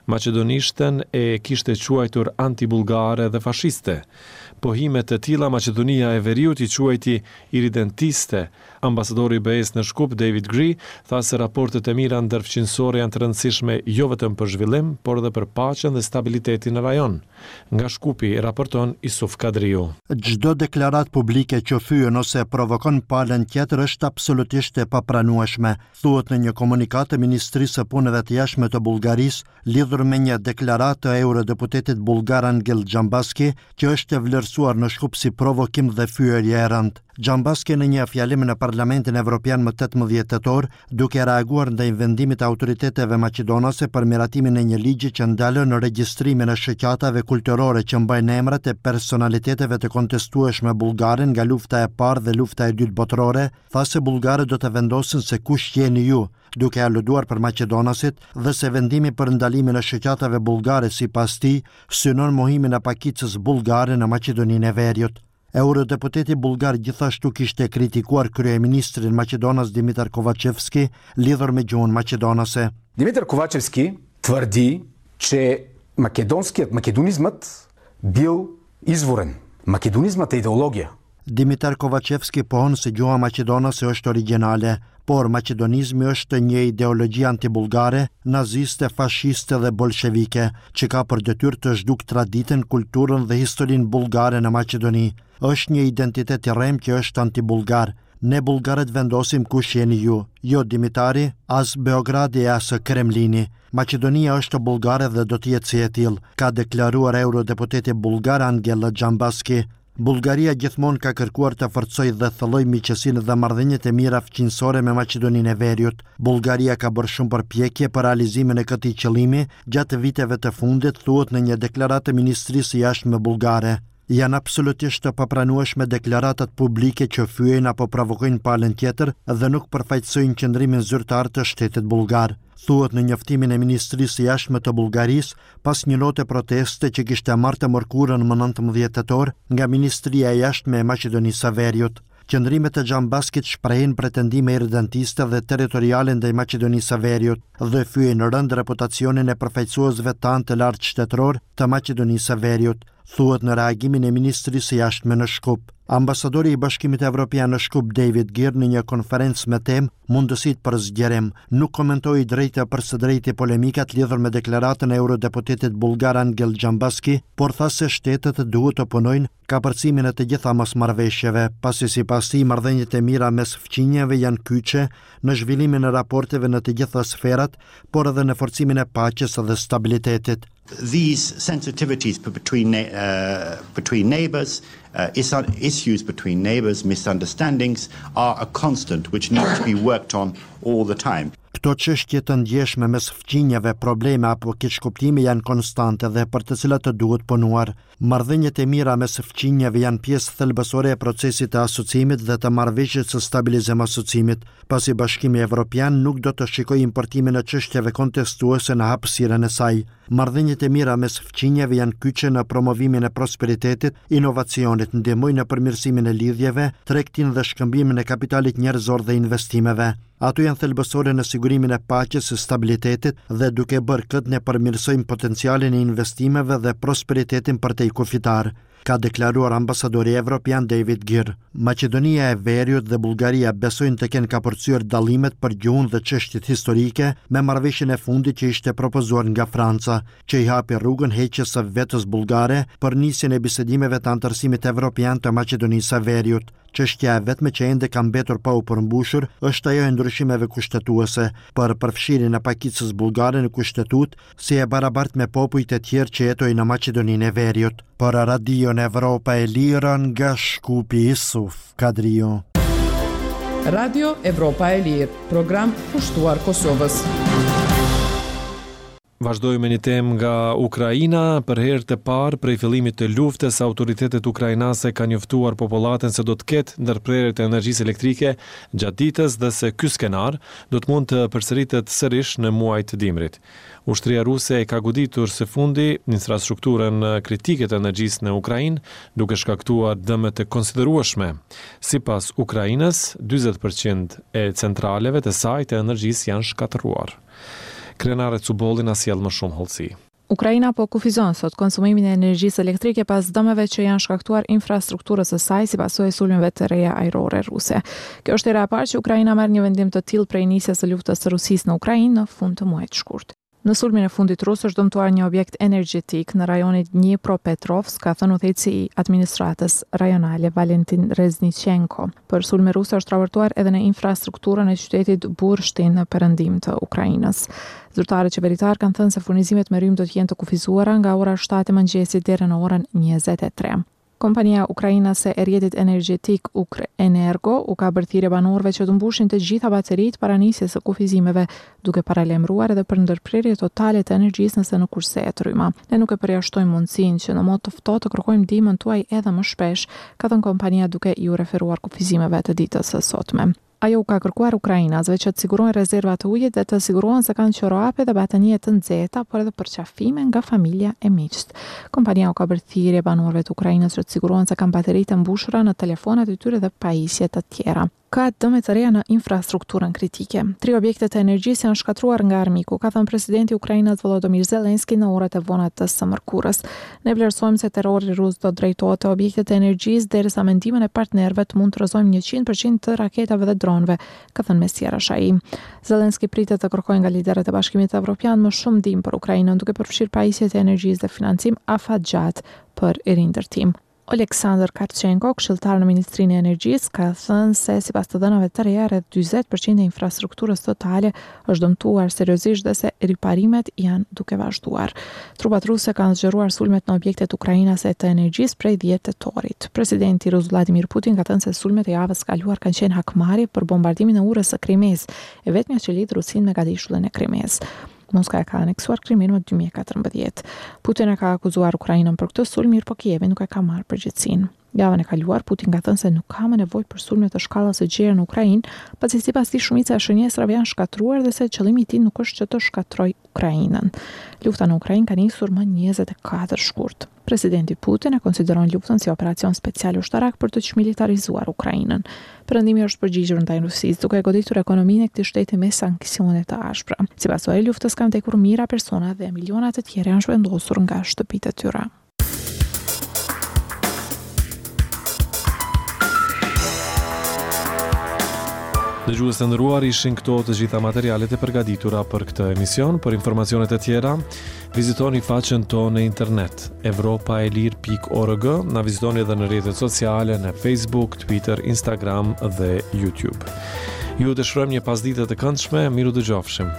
Maqedonishten e kishte quajtur antibullgare dhe fashiste. Pohime të tilla Maqedonia e Veriut i quajti irridentiste. Ambasadori i BE-së në Shkup, David Gee, tha se raportet e mira ndërfqinjësore janë të rëndësishme jo vetëm për zhvillim, por edhe për paqen dhe stabilitetin në rajon. Nga Shkupi, raporton Isuf Kadriu. Çdo deklaratë publike që fyen ose provokon palën tjetër është absolutisht e papranueshme, thuhet në një komunikatë të Ministrisë së Punëve të Jashtme të Bullgarisë lidhur me një deklaratë të eurodeputetit bullgar Angel Dzhambaski, që është vlerësuar në Shkup si provokim dhe fyerje e rëndë. Dzhambaski në një fjalim në Parlamentin Evropian më 18 tetor, duke reaguar ndaj vendimit të autoriteteve maqedonase për miratimin e një ligji që ndalon regjistrimin e shoqatave kulturore që mbajnë emrat e personaliteteve të kontestueshme bullgare nga lufta e parë dhe lufta e dytë botërore, tha se bullgarët do të vendosin se kush jeni ju, duke aluduar për maqedonasit dhe se vendimi për ndalimin e shoqatave bullgare sipas tij synon mohimin e pakicës bullgare në Maqedoninë e Veriut. Eurodeputeti bullgar gjithashtu kishte kritikuar kryeministrin maqedonas Dimitar Kovaçevski lidhur me gjuhën maqedonase. Димитър Ковачевски твърди, че македонският, македонизмът бил изворен. Македонизмът е идеология. Dimitar Kovaçevski pohon se gjuha maqedonase është origjinale, por maqedonizmi është një ideologji antibullgare, naziste, fashiste dhe bolshevike, që ka për detyrë të zhdukë traditën, kulturën dhe historinë bullgare në Maqedoni. Është një identitet i rremë që është antibullgar. Ne bullgarët vendosim kush jeni ju, jo Dimitari, as Beogradi e as Kremlini. Maqedonia është bullgare dhe do të jetë si e tillë, ka deklaruar eurodeputeti bullgar Angel Dzhambaski. Bullgaria gjithmonë ka kërkuar të forcojë dhe thellojë miqësinë dhe marrëdhëniet e mira fqinjësore me Maqedoninë e Veriut. Bullgaria ka bërë shumë përpjekje për realizimin e këtij qëllimi gjatë viteve të fundit, thuhet në një deklaratë të Ministrisë së Jashtme bullgare. Janë absolutisht të papranueshme deklaratat publike që fyejnë apo provokojnë palën tjetër dhe nuk përfaqësojnë qëndrimin zyrtar të shtetit bullgar, thuhet në njoftimin e Ministrisë së Jashtme të Bullgarisë pas një note proteste që kishte marrë të mërkurën më 19 tetor nga Ministria e Jashtme e Maqedonisë së Veriut. Qëndrimet e Dzhambaskit shprehin pretendime irridentiste dhe territoriale ndaj Maqedonisë së Veriut dhe fyejnë rëndë reputacionin e përfaqësuesve tanë të lartë shtetëror të Maqedonisë së Veriut, thuhet në reagimin e Ministrisë së Jashtme në Shkup. Ambasadori i Bashkimit Evropian në Shkup, David Geer, në një konferencë me temë Mundësitë për zgjerim, nuk komentoi drejt e për së drejti polemikat lidhur me deklaratën e eurodeputetit bullgar Angel Dzhambaski, por tha se shtetet duhet të punojnë kapërcimin e të gjitha mosmarrëveshjeve, pasi sipas tij marrëdhëniet e mira mes fqinjëve janë kyçe në zhvillimin e raporteve në të gjitha sferat, por edhe në forcimin e paqes dhe stabilitetit. These sensitivities between uh, between neighbors, uh, issues between neighbors, misunderstandings are a constant which need to be worked on all the time. Këto çështje të ndjeshme mes fqinjëve, probleme apo keqkuptime janë konstante dhe për të cilat të duhet punuar. Marrëdhëniet e mira mes fqinjëve janë pjesë thelbësore e procesit të asociimit dhe të marrëveshjes së stabilizim asociimit, pasi Bashkimi Evropian nuk do të shikojë importimin e çështjeve kontestuese në hapësirën e saj. Marrëdhëniet e mira mes fqinjëve janë kyçe në promovimin e prosperitetit, inovacionit, ndihmojnë në përmirësimin e lidhjeve, tregtinë dhe shkëmbimin e kapitalit njerëzor dhe investimeve. Ato janë thelbësore në sigurimin e paqes e stabilitetit dhe duke bërë këtë ne përmirësojmë potencialin e investimeve dhe prosperitetin përtej kufitar, ka deklaruar ambasadori evropian David Geer. Maqedonia e Veriut dhe Bullgaria besojnë të kenë kapërcyer dallimet për gjuhën dhe çështjet historike me marrëveshjen e fundit që ishte propozuar nga Franca, që i hapi rrugën heqjes së vetos bullgare për nisjen e bisedimeve të anëtarësimit evropian të Maqedonisë së Veriut. Çështja e vetme që ende ka mbetur pa u përmbushur është ajo e ndryshimeve kushtetuese për përfshirjen e pakicës bullgare në kushtetutë si e barabartë me popujt e tjerë që jetojnë në Maqedoninë e Veriut. Për Radion Evropa e Lirë nga Shkupi Isuf Kadriu. Radio Evropa e Lirë, program kushtuar Kosovës. Vazhdojmë me një temë nga Ukraina. Për herë të parë prej fillimit të luftës, autoritetet ukrainase kanë njoftuar popullatën se do të ketë ndërprerje të energjisë elektrike gjatë ditës dhe se ky skenar do të mund të përsëritet sërish në muajt e dimrit. Ushtria ruse e ka goditur së fundi infrastrukturën kritike të energjisë në Ukrainë, duke shkaktuar dëme të konsiderueshme. Sipas Ukrainës, 40% e centraleve të saj të energjisë janë shkatërruar. Krenare Cubolli na sjell më shumë hollësi. Ukraina po kufizon sot konsumimin e energjisë elektrike pas dëmeve që janë shkaktuar infrastrukturës së saj si pasojë e sulmeve të reja ajrore ruse. Kjo është hera e parë që Ukraina merr një vendim të tillë prej nisjes së luftës së Rusisë në Ukrainë në fund të muajit shkurt. Në sulmin e fundit rus është dëmtuar një objekt energjetik në rajonin Dnipropetrovsk, ka thënë udhëheqësi i administratës rajonale Valentin Reznichenko. Për sulme ruse është raportuar edhe në infrastrukturën e qytetit Burshtin në perëndim të Ukrainës. Zyrtarët qeveritarë kanë thënë se furnizimet me rrymë do të jenë të kufizuara nga ora 7 e mëngjesit deri në orën 23. Kompania ukrainase e rrjetit energjetik Ukrenergo u ka bërë thirrje banorëve që të mbushin të gjitha bateritë para nisjes së kufizimeve, duke paralajmëruar edhe për ndërprerje totale të energjisë nëse nuk kursehet rryma. Ne nuk e përjashtojmë mundësinë që në mot të ftohtë të kërkojmë ndihmën tuaj edhe më shpesh, ka thënë kompania duke iu referuar kufizimeve të ditës së sotme. Ajo u ka kërkuar ukrainasve që të sigurojnë rezerva të ujit dhe të sigurohen se kanë çorape dhe batanije të nxehta, por edhe përqafime nga familja e miqtë. Kompania u ka bërë thirrje banorëve të Ukrainës që të sigurohen se kanë bateritë e mbushura në telefonat e tyre dhe pajisje të tjera. Ka dëme të reja në infrastrukturën kritike. Tri objekte të energjisë janë shkatërruar nga armiku, ka thënë presidenti ukrainas Volodymyr Zelensky në orët e vona të së mërkurës. Ne vlerësojmë se terrori rus do të drejtohet te objektet e energjisë, derisa me ndihmën e partnerëve të mund të rrëzojmë 100% të raketave dhe dronëve, ka thënë mes tjerash ai. Zelensky pritet të kërkojë nga liderët e Bashkimit Evropian më shumë ndihmë për Ukrainën, duke përfshirë pajisjet e energjisë dhe financim afatgjatë për rindërtim. Oleksandr Kharchenko, këshilltar në Ministrinë e Energjisë, ka thënë se sipas të dhënave të reja, rreth 40% e infrastrukturës totale është dëmtuar seriozisht dhe se riparimet janë duke vazhduar. Trupat ruse kanë zgjeruar sulmet në objektet ukrainase të energjisë prej 10 tetorit. Presidenti rus Vladimir Putin ka thënë se sulmet e javës së kaluar kanë qenë hakmarrje për bombardimin e urës së Krimesë, e vetmja që lidh Rusinë me gadishullin e Krimesë. Moska e ka aneksuar Krimenë më 2014. Putin e ka akuzuar Ukrainën për këtë sulm, mirëpo Kievi nuk e ka marrë përgjegjësinë. Javën e kaluar, Putin ka thënë se nuk ka më nevojë për sulme të shkallës së gjerë në Ukrainë, pasi sipas tij shumica e shënjestrave janë shkatërruar dhe se qëllimi i tij nuk është që të shkatërrojë Ukrainën. Lufta në Ukrainë ka nisur më 24 shkurt. Presidenti Putin e konsideron luftën si operacion special ushtarak për të çmilitarizuar Ukrainën. Perëndimi është përgjigjur ndaj Rusisë, duke goditur ekonominë e këtij shteti me sanksione të ashpra. Si pasojë e luftës kanë vdekur mijëra persona dhe miliona të tjerë janë zhvendosur nga shtëpitë e tyre. Dëgjues të nderuar, ishin këto të gjitha materialet e përgatitura për këtë emision. Për informacionet e tjera, Vizitoni faqen tonë në internet evropaelire.org, na vizitoni edhe në rrjetet sociale në Facebook, Twitter, Instagram dhe YouTube. Ju dëshirojmë një pasdite të këndshme, mirudëgjofshim.